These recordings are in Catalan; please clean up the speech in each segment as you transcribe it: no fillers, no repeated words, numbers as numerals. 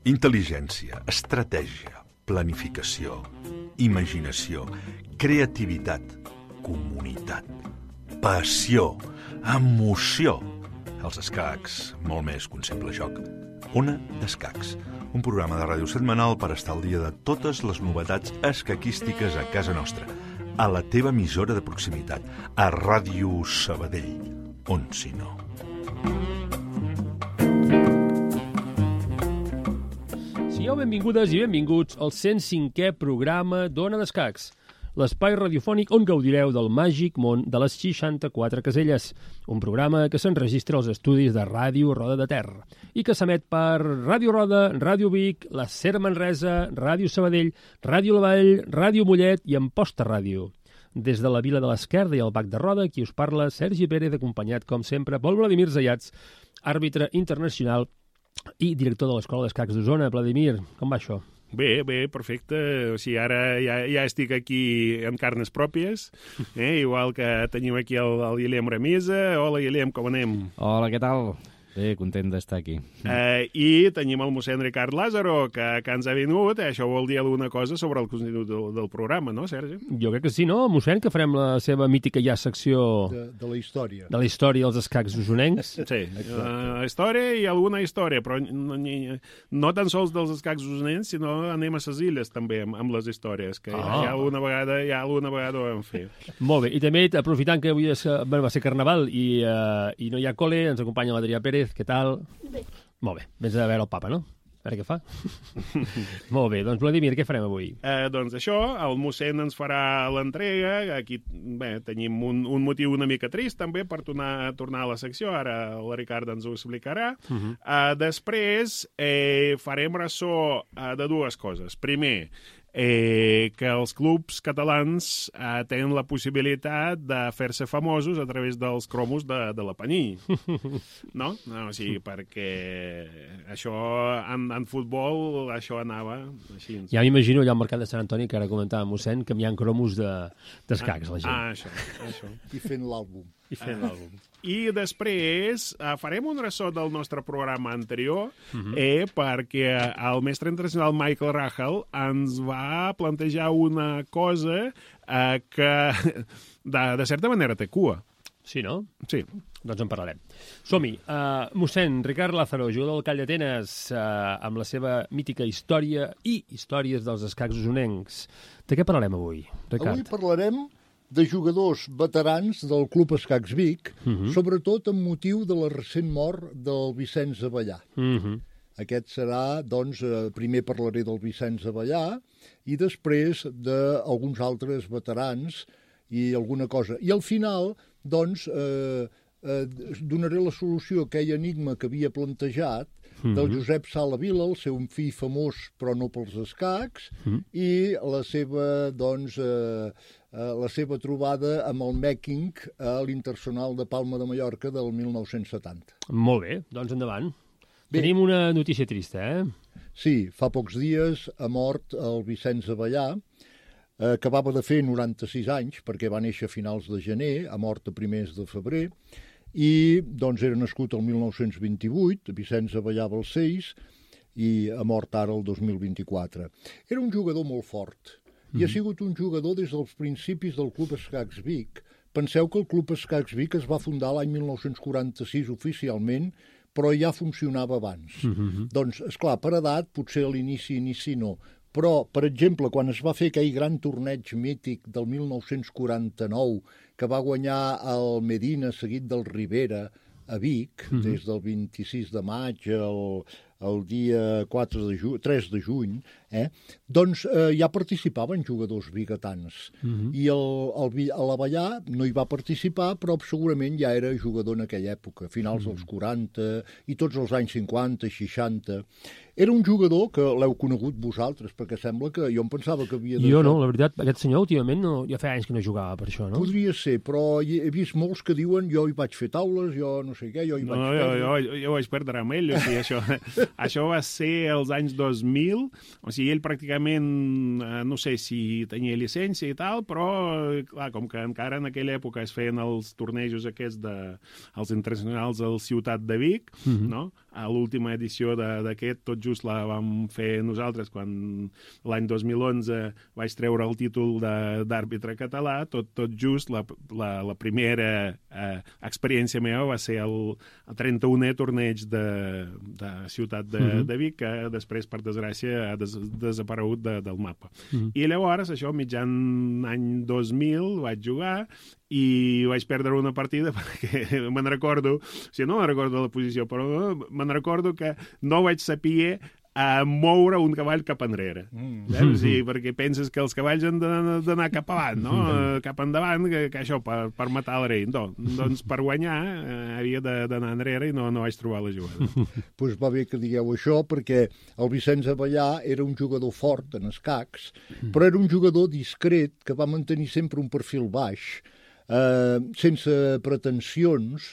Intel·ligència, estratègia, planificació, imaginació, creativitat, comunitat, passió, emoció. Els escacs, molt més que un simple joc. Ona d'Escacs, un programa de ràdio setmanal per estar al dia de totes les novetats escaquístiques a casa nostra, a la teva emissora de proximitat, a Ràdio Sabadell, on si no. Sigueu benvingudes i benvinguts al 105è programa d'Ona d'Escacs, l'espai radiofònic on gaudireu del màgic món de les 64 caselles, un programa que s'enregistra als estudis de Ràdio Roda de Ter i que s'emet per Ràdio Roda, Ràdio Vic, la Ser Manresa, Ràdio Sabadell, Ràdio La Vall, Ràdio Mollet i Amposta Ràdio. Des de la Vila de l'Esquerda i el Bac de Roda, qui us parla, Sergi Pérez, acompanyat, com sempre, pel Vladimir Zayats, àrbitre internacional i director de l'Escola d'Escacs d'Osona. Vladimir, com va això? Bé, perfecte. O sigui, ara ja estic aquí en carnes pròpies, igual que tenim aquí el Guillem Ramisa. Hola, Guillem, com anem? Hola, què tal? Bé, content d'estar aquí. I tenim el mossèn Ricard Lázaro, que ens ha vingut. Això vol dir alguna cosa sobre el contingut del programa, no, Sergi? Jo crec que sí, no? Mossèn, que farem la seva mítica ja secció... De la història. De la història dels escacs usonencs. Sí, la història i alguna història, però no tan sols dels escacs usonencs, sinó anem a les illes també amb les històries, que ja alguna vegada ho vam fer. Molt bé, i també aprofitant que avui va ser Carnaval i no hi ha col·le, ens acompanya l'Adrià Pérez. Què tal? Bé. Molt bé, vens a veure el papa, no? A veure què fa. Molt bé, doncs Vladimir, què farem avui? Doncs això, el mossèn ens farà l'entrega. Aquí tenim un motiu una mica trist també per tornar a la secció, ara la Ricard ens ho explicarà. Després farem ressò de dues coses. Primer, que els clubs catalans tenen la possibilitat de fer-se famosos a través dels cromos de l'Apaní. No? O sigui, perquè això en futbol això anava així. Ja m'imagino allà al mercat de Sant Antoni, que ara comentava mossèn, canviant cromos d'escacs la gent. Això. I fent l'àlbum. I després farem un ressò del nostre programa anterior perquè el mestre internacional Michael Rahal ens va plantejar una cosa que de certa manera té cua. Sí, no? Sí. Doncs en parlarem. Som-hi. Mossèn Ricard Lázaro, jugador del Call d'Atenes, amb la seva mítica història i històries dels escacs usonencs. De què parlarem avui, Ricard? Avui parlarem de jugadors veterans del Club Escacs Vic, sobretot amb motiu de la recent mort del Vicenç Avellà. Aquest serà, doncs, primer parlaré del Vicenç Avellà i després d'alguns altres veterans i alguna cosa. I al final, doncs, donaré la solució a aquell enigma que havia plantejat del Josep Sala Vila, el seu fill famós però no pels escacs, i la seva, doncs, la seva trobada amb el Mèking a l'Internacional de Palma de Mallorca del 1970. Molt bé, doncs endavant. Bé. Tenim una notícia trista, Sí, fa pocs dies ha mort el Vicenç Avellà, que acabava de fer 96 anys, perquè va néixer a finals de gener, ha mort a primers de febrer, i doncs era nascut el 1928, Vicenç Avellà Balcells, i ha mort ara el 2024. Era un jugador molt fort, i ha sigut un jugador des dels principis del Club Escacs Vic. Penseu que el Club Escacs Vic es va fundar l'any 1946 oficialment, però ja funcionava abans. Doncs, esclar, per edat, potser a l'inici no. Però, per exemple, quan es va fer aquell gran torneig mític del 1949, que va guanyar el Medina seguit del Rivera a Vic, des del 26 de maig el dia 3 de juny, doncs ja participaven jugadors biguetans. I l'Avellà no hi va participar, però segurament ja era jugador en aquella època, finals dels 40 i tots els anys 50, 60. Era un jugador que l'heu conegut vosaltres, perquè sembla que jo em pensava que havia de... Jo no, la veritat, aquest senyor últimament ja fa anys que no jugava per això, no? Podria ser, però he vist molts que diuen jo hi vaig fer taules, jo no sé què, jo hi vaig perdre. Jo vaig perdre amb ell, o sigui, això... Això va ser als anys 2000, o sigui, ell pràcticament, no sé si tenia llicència i tal, però, clar, com que encara en aquella època es feien els tornejos aquests els internacionals al Ciutat de Vic, no? A l'última edició d'aquest, tot just la vam fer nosaltres quan l'any 2011 vaig treure el títol d'àrbitre català, tot just la primera experiència meva va ser el 31è torneig de Ciutat de Vic, que després, per desgràcia, ha desaparegut del mapa. I llavors, això, mitjan any 2000, vaig jugar i vaig perdre una partida perquè me'n recordo, o sigui, no me'n recordo la posició, però me'n recordo que no vaig saber moure un cavall cap enrere. O sigui, perquè penses que els cavalls han d'anar cap avant, no? Cap endavant, que això, per matar el rei. No, doncs per guanyar havia d'anar enrere i no vaig trobar la jugada. Doncs va bé que digueu això, perquè el Vicenç Avellà era un jugador fort en escacs, però era un jugador discret que va mantenir sempre un perfil baix, sense pretensions,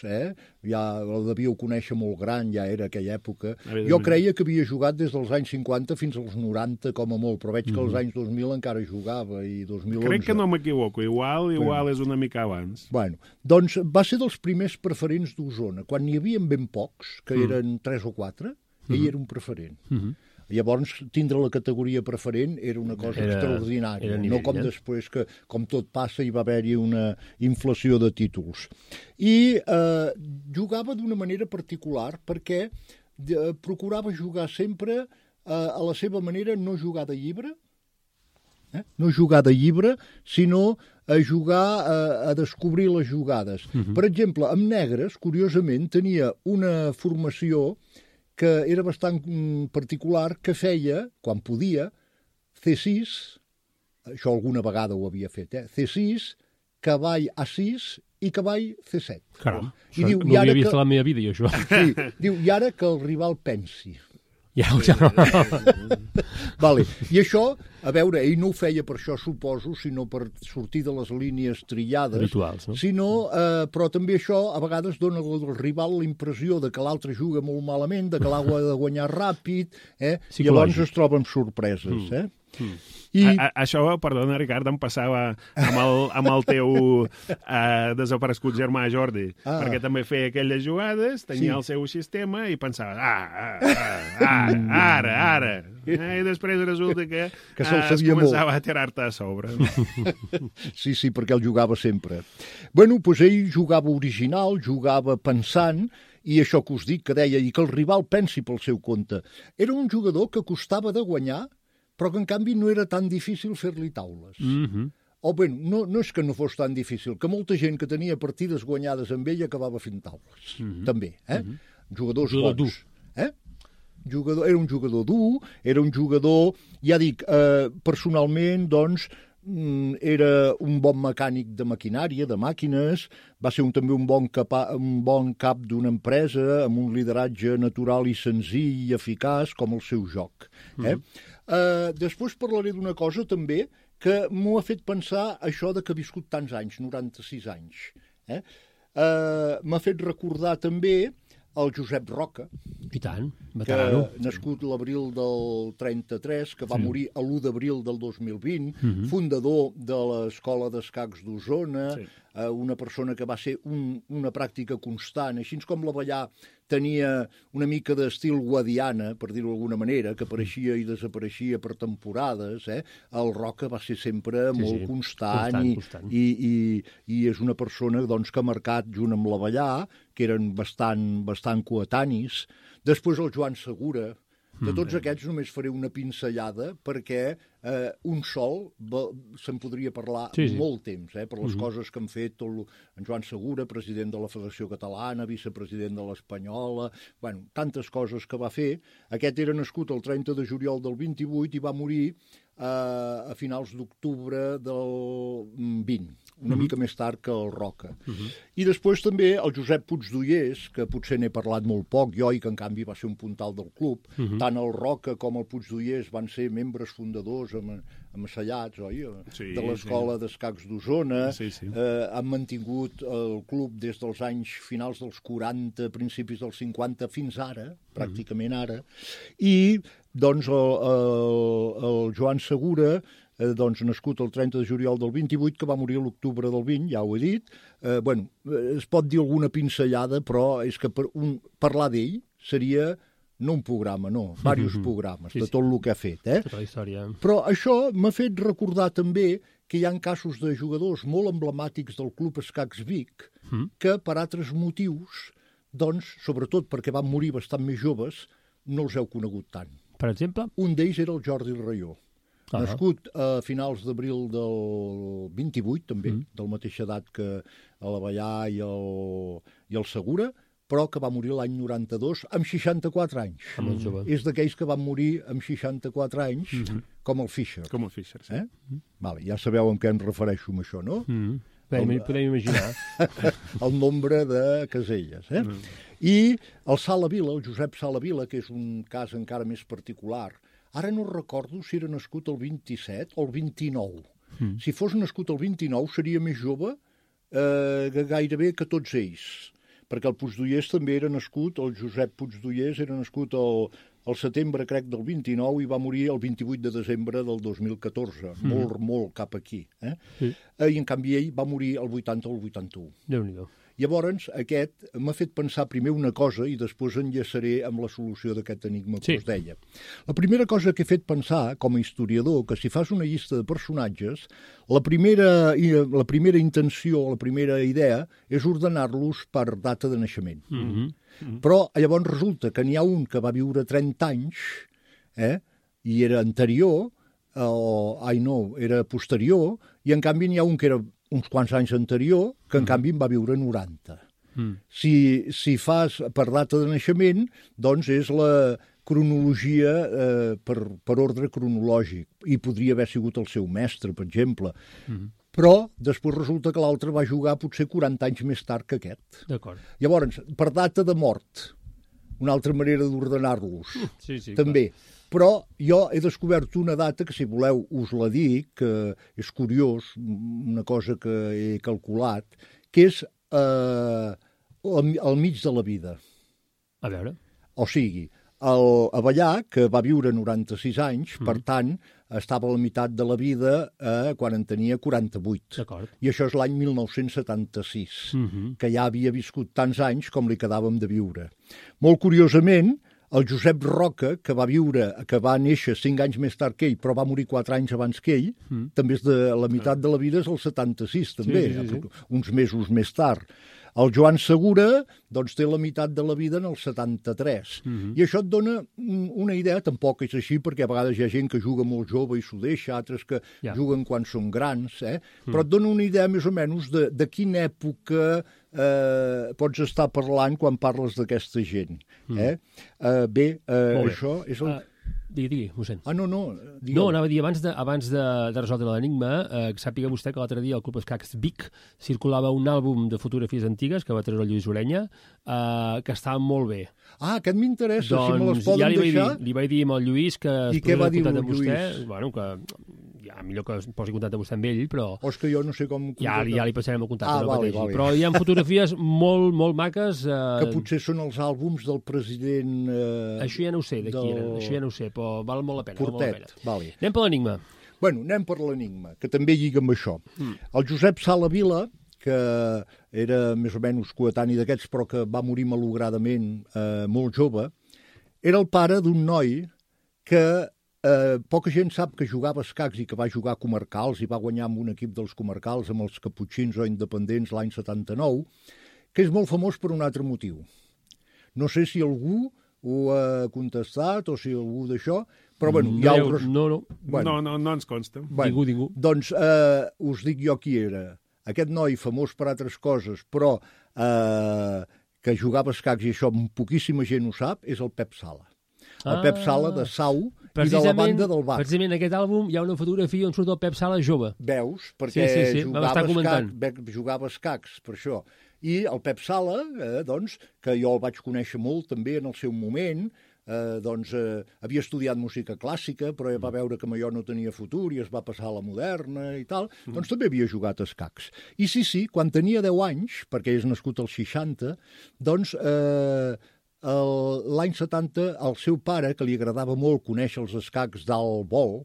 ja el devíeu conèixer molt gran, ja era aquella època. Jo creia que havia jugat des dels anys 50 fins als 90 com a molt, però veig que als anys 2000 encara jugava, i 2011... Crec que no m'equivoco, igual és una mica abans. Bueno, doncs va ser dels primers preferents d'Osona, quan n'hi havia ben pocs, que eren 3 o 4, ell era un preferent. Llavors, tindre la categoria preferent era una cosa extraordinària, no com després que, com tot passa, hi va haver-hi una inflació de títols. I jugava d'una manera particular perquè procurava jugar sempre a la seva manera, no jugar de llibre, no jugar de llibre, sinó a jugar a descobrir les jugades. Per exemple, amb negres, curiosament, tenia una formació que era bastant particular, que feia, quan podia, C6, això alguna vegada ho havia fet, C6, cavall A6 i cavall C7. Caram, això diu, no havia vist a la meva vida, jo, això. Sí, diu, i ara que el rival pensi. Ja. Vale. I això, a veure, ell no ho feia per això, suposo, sinó per sortir de les línies trillades. Habituals, no? Sinó, però també això a vegades dona al rival la impressió de que l'altre juga molt malament, de que l'ha de guanyar ràpid, i llavors es troba amb sorpreses. Això, perdona, Ricard, em passava amb el teu desaparegut germà Jordi, perquè també feia aquelles jugades, tenia el seu sistema i pensava, ara. I després resulta que es començava a tirar-te a sobre. Sí, perquè el jugava sempre. Bueno, doncs ell jugava original, jugava pensant, i això que us dic, que deia, i que el rival pensi pel seu compte. Era un jugador que costava de guanyar, però que en canvi no era tan difícil fer-li taules. O bé, no és que no fos tan difícil, que molta gent que tenia partides guanyades amb ell acabava fent taules, també. Jugadors bons. Era un jugador dur, era un jugador, ja dic, personalment, doncs, era un bon mecànic de maquinària, de màquines, va ser també un bon cap d'una empresa, amb un lideratge natural i senzill i eficaç, com el seu joc. Després parlaré d'una cosa també que m'ho ha fet pensar això de que ha viscut tants anys, 96 anys. M'ha fet recordar també el Josep Roca, i tant, veterano, nascut l'abril del 33, que va morir l'1 d'abril del 2020, fundador de l'Escola d'Escacs d'Osona, una persona que va ser una pràctica constant, així com l'Avellà tenia una mica d'estil guadiana, per dir-ho d'alguna manera, que apareixia i desapareixia per temporades, el Roca va ser sempre molt constant. I és una persona que ha marcat, junt amb l'Avellà, que eren bastant coetanis. Després el Joan Segura. De tots aquests només faré una pinzellada perquè un sol se'n podria parlar molt temps, per les coses que han fet en Joan Segura, president de la Federació Catalana, vicepresident de l'Espanyola, tantes coses que va fer. Aquest era nascut el 30 de juliol del 28 i va morir a finals d'octubre del 20, una mica més tard que el Roca. I després també el Josep Puigdollers, que potser n'he parlat molt poc, i que en canvi va ser un puntal del club. Tant el Roca com el Puigdollers van ser membres fundadors Amassallats, oi? Sí, de l'Escola d'Escacs d'Osona. Sí. Han mantingut el club des dels anys finals dels 40, principis dels 50, fins ara, pràcticament ara. I, doncs, el Joan Segura, doncs, nascut el 30 de juliol del 28, que va morir a l'octubre del 20, ja ho he dit. Es pot dir alguna pinzellada, però és que parlar d'ell seria no un programa, no, diversos programes, de tot el que ha fet. Tota la història. Però això m'ha fet recordar també que hi ha casos de jugadors molt emblemàtics del Club Escacs Vic que, per altres motius, doncs, sobretot perquè van morir bastant més joves, no els heu conegut tant. Per exemple? Un d'ells era el Jordi Raió. Nascut a finals d'abril del 28, també, de la mateixa edat que l'Avellà i el Segura, però que va morir l'any 92 amb 64 anys. És d'aquells que van morir amb 64 anys, com el Fischer. Com el Fischer, sí. Vale, ja sabeu a què em refereixo amb això, no? Podem imaginar. El nombre de caselles. I el Sala Vila, el Josep Sala Vila, que és un cas encara més particular. Ara no recordo si era nascut el 27 o el 29. Si fos nascut el 29 seria més jove gairebé que tots ells, perquè el Puigdollers també era nascut, el Josep Puigdollers era nascut al setembre, crec, del 29 i va morir el 28 de desembre del 2014, molt cap aquí. I en canvi ell va morir el 80 o el 81. Déu-n'hi-do. Llavors, aquest m'ha fet pensar primer una cosa i després enllaçaré amb la solució d'aquest enigma que us deia. La primera cosa que he fet pensar, com a historiador, que si fas una llista de personatges, la primera intenció, la primera idea, és ordenar-los per data de naixement. Però llavors resulta que n'hi ha un que va viure 30 anys i era anterior, era posterior, i en canvi n'hi ha un que era uns quants anys anterior, que en canvi en va viure 90. Si fas per data de naixement, doncs és la cronologia per ordre cronològic, i podria haver sigut el seu mestre, per exemple. Però després resulta que l'altre va jugar potser 40 anys més tard que aquest. D'acord. Llavors, per data de mort, una altra manera d'ordenar-los, també. Clar. Però jo he descobert una data que, si voleu, us la dic, que és curiós, una cosa que he calculat, que és al mig de la vida. A veure. O sigui, l'Avellà, que va viure 96 anys, per tant, estava a la meitat de la vida quan en tenia 48. D'acord. I això és l'any 1976, que ja havia viscut tants anys com li quedàvem de viure. Molt curiosament, el Josep Roca, que va néixer 5 anys més tard que ell, però va morir 4 anys abans que ell, també és de la meitat de la vida, és el 76, també, uns mesos més tard. El Joan Segura, doncs, té la meitat de la vida en el 73. I això et dona una idea, tampoc és així, perquè a vegades hi ha gent que juga molt jove i s'ho deixa, altres que juguen quan són grans, però et dona una idea més o menys de quina època pots estar parlant quan parles d'aquesta gent. Bé, això és el... Digui, mossèn. No. No, anava a dir, abans de resoldre l'enigma, sàpiga vostè que l'altre dia al Club Escacs Vic circulava un àlbum de fotografies antigues que va treure el Lluís Orenya, que estava molt bé. Aquest m'interessa, doncs, si me les poden deixar. Li vaig dir amb el Lluís que es posi en contacte amb vostè. Bueno, que ja millor que es posi en contacte vostè amb ell, però... O és que jo no sé com... Ja li passarem el contacte. Vale. Però hi ha fotografies molt maques... Que potser són els àlbums del president... Això ja no ho sé, d'aquí eren. Això ja no ho sé, però val molt la pena. Portet, vale. Anem per l'enigma. Bueno, anem per l'enigma, que també lliga amb això. El Josep Sala Vila, que era més o menys coetani d'aquests, però que va morir malogradament molt jove, era el pare d'un noi que poca gent sap que jugava a escacs i que va jugar a comarcals i va guanyar amb un equip dels comarcals, amb els caputxins o independents l'any 79, que és molt famós per un altre motiu. No sé si algú ho ha contestat o si algú d'això, però bueno, hi ha altres... No ens consta. Ningú. Doncs us dic jo qui era. Aquest noi famós per altres coses, però que jugava a escacs i això poquíssima gent ho sap, és el Pep Sala. El Pep Sala de Sau i de la banda del Bar. Precisament en aquest àlbum hi ha una fotografia on surt el Pep Sala jove. Veus? Perquè jugava a escacs, per això. I el Pep Sala, doncs, que jo el vaig conèixer molt també en el seu moment, havia estudiat música clàssica, però va veure que allò no tenia futur i es va passar a la moderna i tal, doncs també havia jugat a escacs. I sí, quan tenia 10 anys, perquè és nascut als 60, doncs l'any 70 el seu pare, que li agradava molt conèixer els escacs d'alt vol,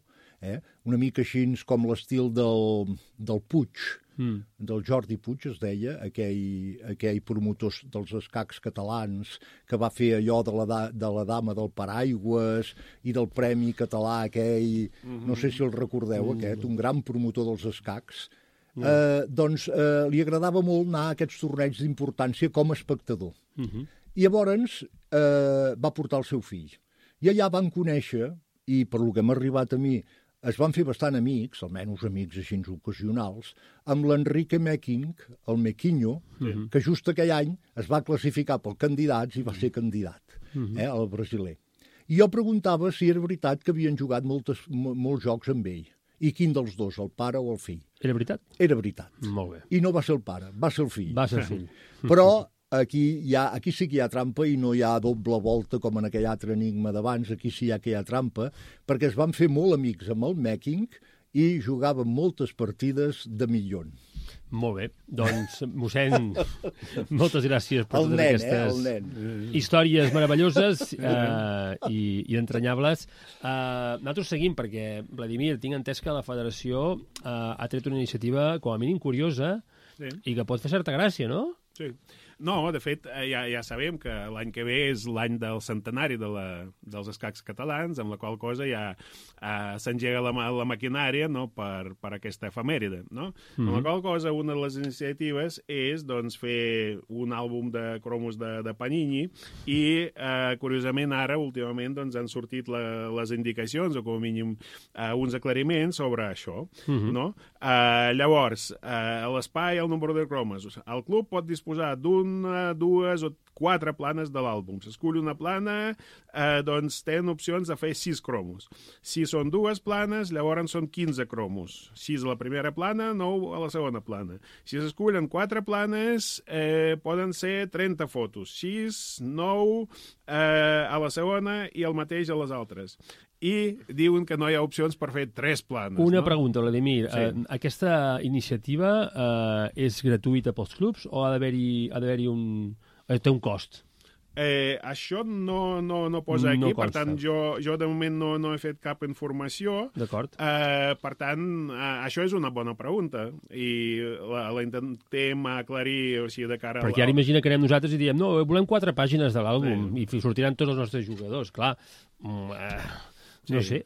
una mica així com l'estil del Puig, del Jordi Puig es deia, aquell promotor dels escacs catalans que va fer allò de la dama del paraigües i del Premi Català aquell, no sé si el recordeu aquest, un gran promotor dels escacs. Li agradava molt anar a aquests torneigs d'importància com a espectador. I llavors va portar el seu fill. I allà van conèixer, i per lo que m'ha arribat a mi, es van fer bastant amics, almenys amics així ocasionals, amb l'Enrique Meking, el Mequinho, que just aquell any es va classificar pel candidats i va ser candidat, el brasiler. I jo preguntava si era veritat que havien jugat molts jocs amb ell. I quin dels dos, el pare o el fill? Era veritat? Era veritat. Molt bé. I no va ser el pare, va ser el fill. Va ser el fill. Però aquí sí que hi ha trampa i no hi ha doble volta com en aquell altre enigma d'abans, aquí sí que hi ha trampa, perquè es van fer molt amics amb el Meking i jugaven moltes partides de millón. Molt bé, doncs, mossèn, moltes gràcies per totes aquestes històries meravelloses i entranyables. Nosaltres seguim perquè, Vladimir, tinc entès que la Federació ha tret una iniciativa com a mínim curiosa i que pot fer certa gràcia, no? Sí. No, de fet, ja sabem que l'any que ve és l'any del centenari dels escacs catalans, amb la qual cosa ja s'engega la maquinària, no, per aquesta efemèride. No? Amb la qual cosa, una de les iniciatives és doncs, fer un àlbum de cromos de Panini i, curiosament, ara, últimament, doncs, han sortit les indicacions, o com a mínim uns aclariments sobre això. No? Llavors, l'espai, el número de cromos. El club pot disposar d'una, dues o 4 planes de l'àlbum. S'escull una plana, doncs tenen opcions de fer 6 cromos. Si són 2 planes, llavors són 15 cromos. 6 a la primera plana, 9 a la segona plana. Si s'escullen 4 planes, poden ser 30 fotos. 6, 9 a la segona i el mateix a les altres. I diuen que no hi ha opcions per fer 3 planes. Una pregunta, Vladimir. Sí. Aquesta iniciativa és gratuïta pels clubs o ha d'haver-hi té un cost? Això no posa aquí, per tant, jo de moment no he fet cap informació. D'acord. Per tant, això és una bona pregunta i la intentem aclarir, o sigui, de cara a... Perquè ara imagina que anem nosaltres i diem, no, volem 4 pàgines de l'àlbum i sortiran tots els nostres jugadors, clar. No sé.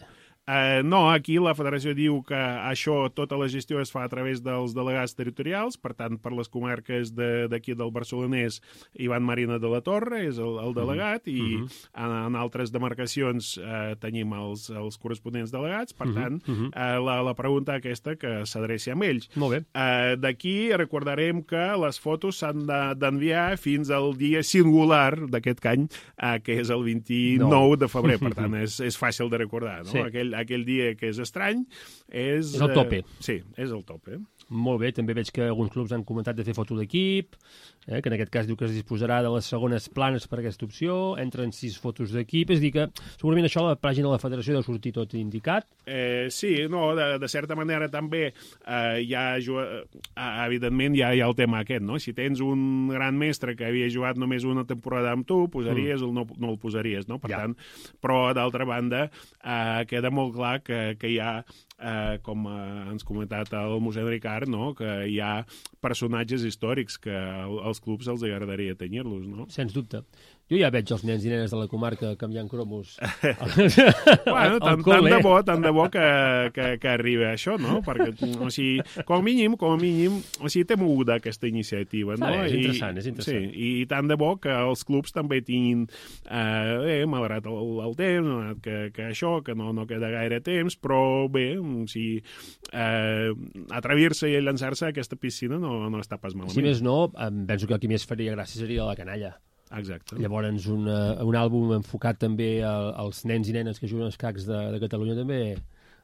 No, aquí la federació diu que això, tota la gestió es fa a través dels delegats territorials, per tant, per les comarques d'aquí del Barcelonès, Ivan Marina de la Torre és el delegat, i en altres demarcacions tenim els corresponents delegats, per tant, la pregunta aquesta que s'adreci a ells. Molt bé. D'aquí recordarem que les fotos s'han d'enviar fins al dia singular d'aquest any, que és el 29 de febrer, per tant, és fàcil de recordar, no? Sí. Aquell dia que és estrany és el tope. Sí, és el tope. Molt bé, també veig que alguns clubs han comentat de fer foto d'equip, que en aquest cas diu que es disposarà de les segones planes per aquesta opció, entren 6 fotos d'equip, és a dir que segurament això a la pàgina de la federació deu sortir tot indicat. Sí, no, de certa manera també evidentment hi ha el tema aquest, no? Si tens un gran mestre que havia jugat només una temporada amb tu, posaries o no el posaries, no? Per tant, però d'altra banda queda molt clar que hi ha, com ens ha comentat el mossèn Ricard, no? Que hi ha personatges històrics que als clubs els agradaria tenir-los, no? Sens dubte. Jo ja veig els nens i nenes de la comarca canviant cromos. Bueno, tant de bo que arribi això, no? Perquè, o sigui, com a mínim, o sigui, té moguda aquesta iniciativa, no? És interessant. Sí, i tant de bo que els clubs també tinguin, malgrat el temps, que això, que no queda gaire temps, però bé, o sigui, atrevir-se i llançar-se a aquesta piscina no està pas malament. Si més no, penso que el que més faria gràcia seria la canalla. Exacte. Llavors, un àlbum enfocat també als nens i nenes que juguen als escacs de Catalunya també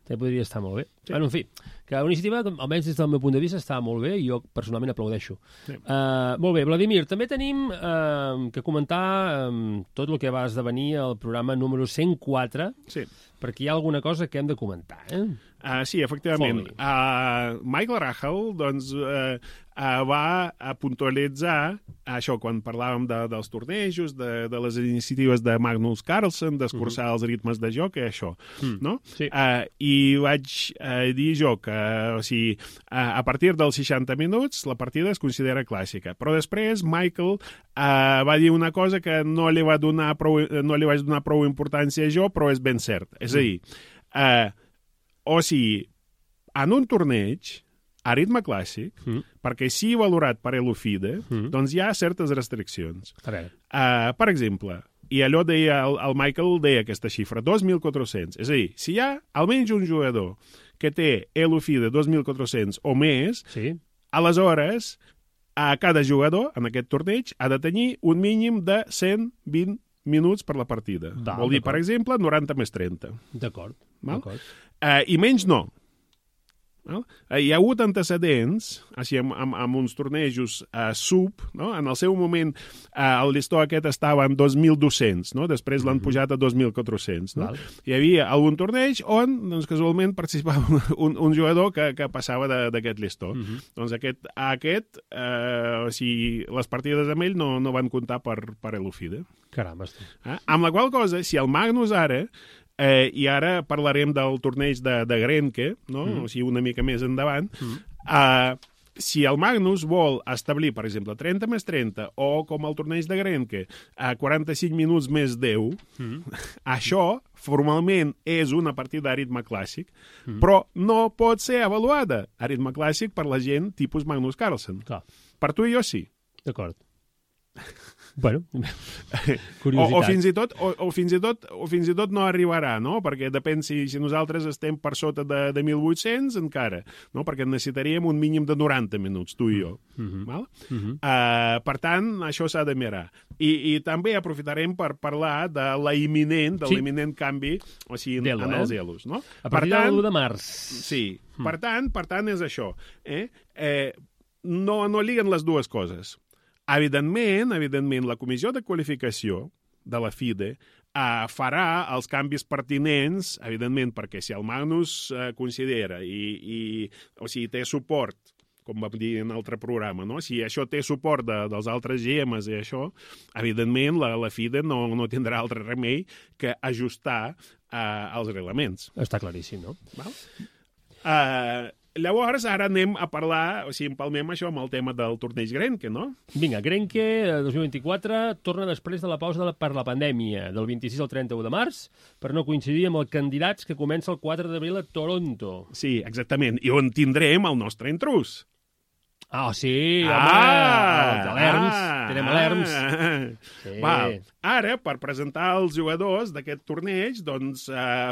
també podria estar molt bé. Sí. Bueno, en fi, que una iniciativa, almenys des del meu punt de vista, està molt bé i jo personalment aplaudeixo. Sí. Molt bé, Vladimir, també tenim que comentar tot el que va esdevenir el programa número 104, sí. Perquè hi ha alguna cosa que hem de comentar, sí, efectivament. Michael Rahal doncs, va puntualitzar això quan parlàvem dels tornejos, de les iniciatives de Magnus Carlsen, d'escurçar els ritmes de joc, això, no? Sí. I vaig dir jo que, o sigui, a partir dels 60 minuts la partida es considera clàssica. Però després Michael va dir una cosa que no li vaig donar prou importància jo, però és ben cert. És a dir, o sigui, en un torneig, a ritme clàssic, perquè sigui valorat per l'UFIDE, doncs hi ha certes restriccions. Per exemple, i allò deia, el Michael deia aquesta xifra, 2.400. És a dir, si hi ha almenys un jugador que té l'UFIDE 2.400 o més, sí. Aleshores, cada jugador en aquest torneig ha de tenir un mínim de 120 minuts per la partida. Vol dir, per exemple, 90 més 30. D'acord. I menys no. Hi ha hagut antecedents, així, amb uns tornejos sub, no? En el seu moment el llistó aquest estava en 2.200, no? Després l'han pujat a 2.400. No? Hi havia algun torneig on doncs, casualment participava un jugador que passava d'aquest llistó. Doncs o sigui, les partides amb ell no van comptar per l'UFIDE. Caram, amb la qual cosa, si el Magnus ara i ara parlarem del torneig de Grenke, no? O sigui, una mica més endavant. Si el Magnus vol establir, per exemple, 30 més 30, o com el torneig de Grenke, 45 minuts més 10, això formalment és una partida a ritme clàssic, però no pot ser avaluada a ritme clàssic per la gent tipus Magnus Carlsen. Clar. Per tu i jo sí. D'acord. Bueno, curiositat. O fins i tot no arribarà, no? Perquè depèn si nosaltres estem per sota de 1.800 encara, no? Perquè necessitaríem un mínim de 90 minuts, tu i jo. Val? Per tant, això s'ha de mirar. I també aprofitarem per parlar de l'imminent canvi, o sigui, en els elos, no? A partir de l'1 de març. Sí. Per tant, és això. No liguen les dues coses. Evidentment, la comissió de qualificació de la FIDE farà els canvis pertinents, evidentment, perquè si el Magnus considera o sigui, té suport, com vam dir en altre programa, no? Si això té suport dels altres GMs i això, evidentment la FIDE no tindrà altre remei que ajustar els reglaments. Està claríssim, no? Val? Llavors, ara anem a parlar, o sigui, empalmem això amb el tema del torneig Grenke, no? Vinga, Grenke 2024 torna després de la pausa per la pandèmia, del 26 al 31 de març, per no coincidir amb els candidats que comença el 4 d'abril a Toronto. Sí, exactament, i on tindrem el nostre intrus. Sí, home, tenim alerms. Sí. Val. Ara, per presentar els jugadors d'aquest torneig, doncs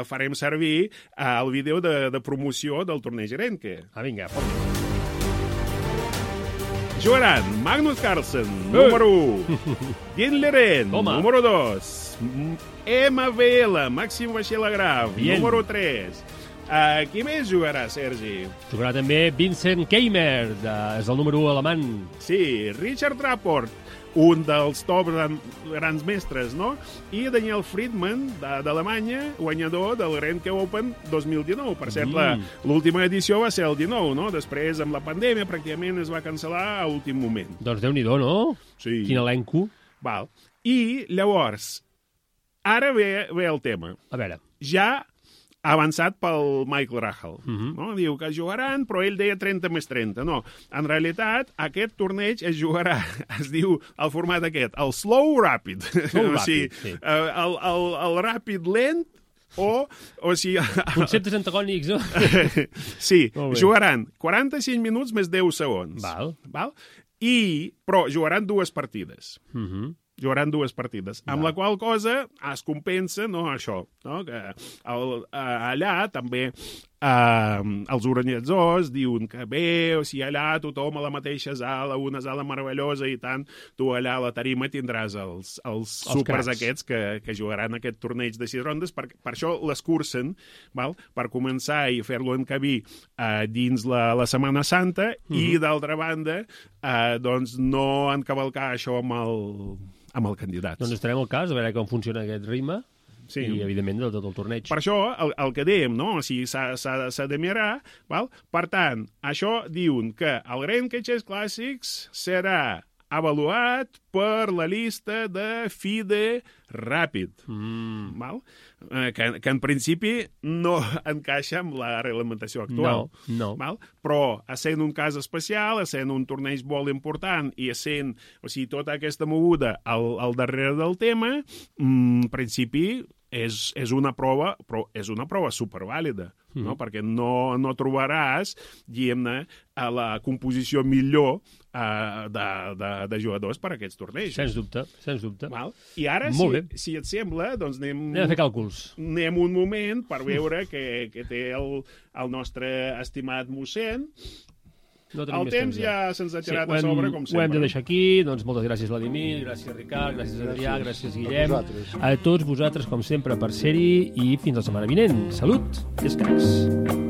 farem servir el vídeo de promoció del torneig Grenke. Vinga, jugaran Magnus Carlsen, número 1, Dean Leren, número 2, MVL, Màxim Vaixell-Agraf, número 3. Qui més jugarà, Sergi? Jugarà també Vincent Keimer, és el número 1 alemany. Sí, Richard Rapport, un dels top grans mestres, no? I Daniel Friedman, d'Alemanya, guanyador del Grenke Open 2019. Per cert, l'última edició va ser el 19, no? Després, amb la pandèmia, pràcticament es va cancel·lar a últim moment. Doncs Déu-n'hi-do, no? Sí. Quin elenco. Val. I, llavors, ara ve el tema. A veure. Ja avançat pel Michael Rahal. No? Diu que jugaran, però ell deia 30 més 30. No, en realitat, aquest torneig es jugarà, es diu el format aquest, el slow rapid. Slow rapid, sí. El ràpid lent, o sigui... Conceptes antagònics, no? Sí, jugaran 45 minuts més 10 segons. Val. Però jugaran dues partides. Jugaran dues partides, amb la qual cosa es compensa, no, això, no? Que allà també els organitzadors diuen que bé, o sigui, allà tothom a la mateixa sala, una sala meravellosa i tant, tu allà a la tarima tindràs els súpers aquests que jugaran aquest torneig de 6 rondes, per això l'escurcen, per començar i fer-lo encabir dins la Setmana Santa i, d'altra banda, doncs no encavalcar això amb el candidat. Doncs estarem al cas, a veure com funciona aquest ritme. Sí. I, evidentment, de tot el torneig. Per això, el que dèiem, no? O sigui, s'ha de mirar, val? Per tant, això diuen que el Grand Caixers Clàssics serà avaluat per la llista de FIDE ràpid, val? Que en principi no encaixa amb la reglamentació actual. No. Val? Però, essent un cas especial, essent un torneig molt important i essent, o sigui, tota aquesta moguda al darrere del tema, en principi és una prova, però és una prova supervàlida, no? Perquè no trobaràs, diguem-ne, la composició millor de jugadors per a aquests torneigs. Sens dubte. Val? I ara, si et sembla, doncs anem a fer càlculs. Anem un moment per veure què té el nostre estimat mossèn. El temps ja se'ns ha tirat a sobre, com sempre. Ho hem de deixar aquí. Doncs moltes gràcies, Vladimir, gràcies, Ricard, gràcies, Adrià, gràcies, Guillem. A tots vosaltres, com sempre, per ser-hi i fins la setmana vinent. Salut i escacs.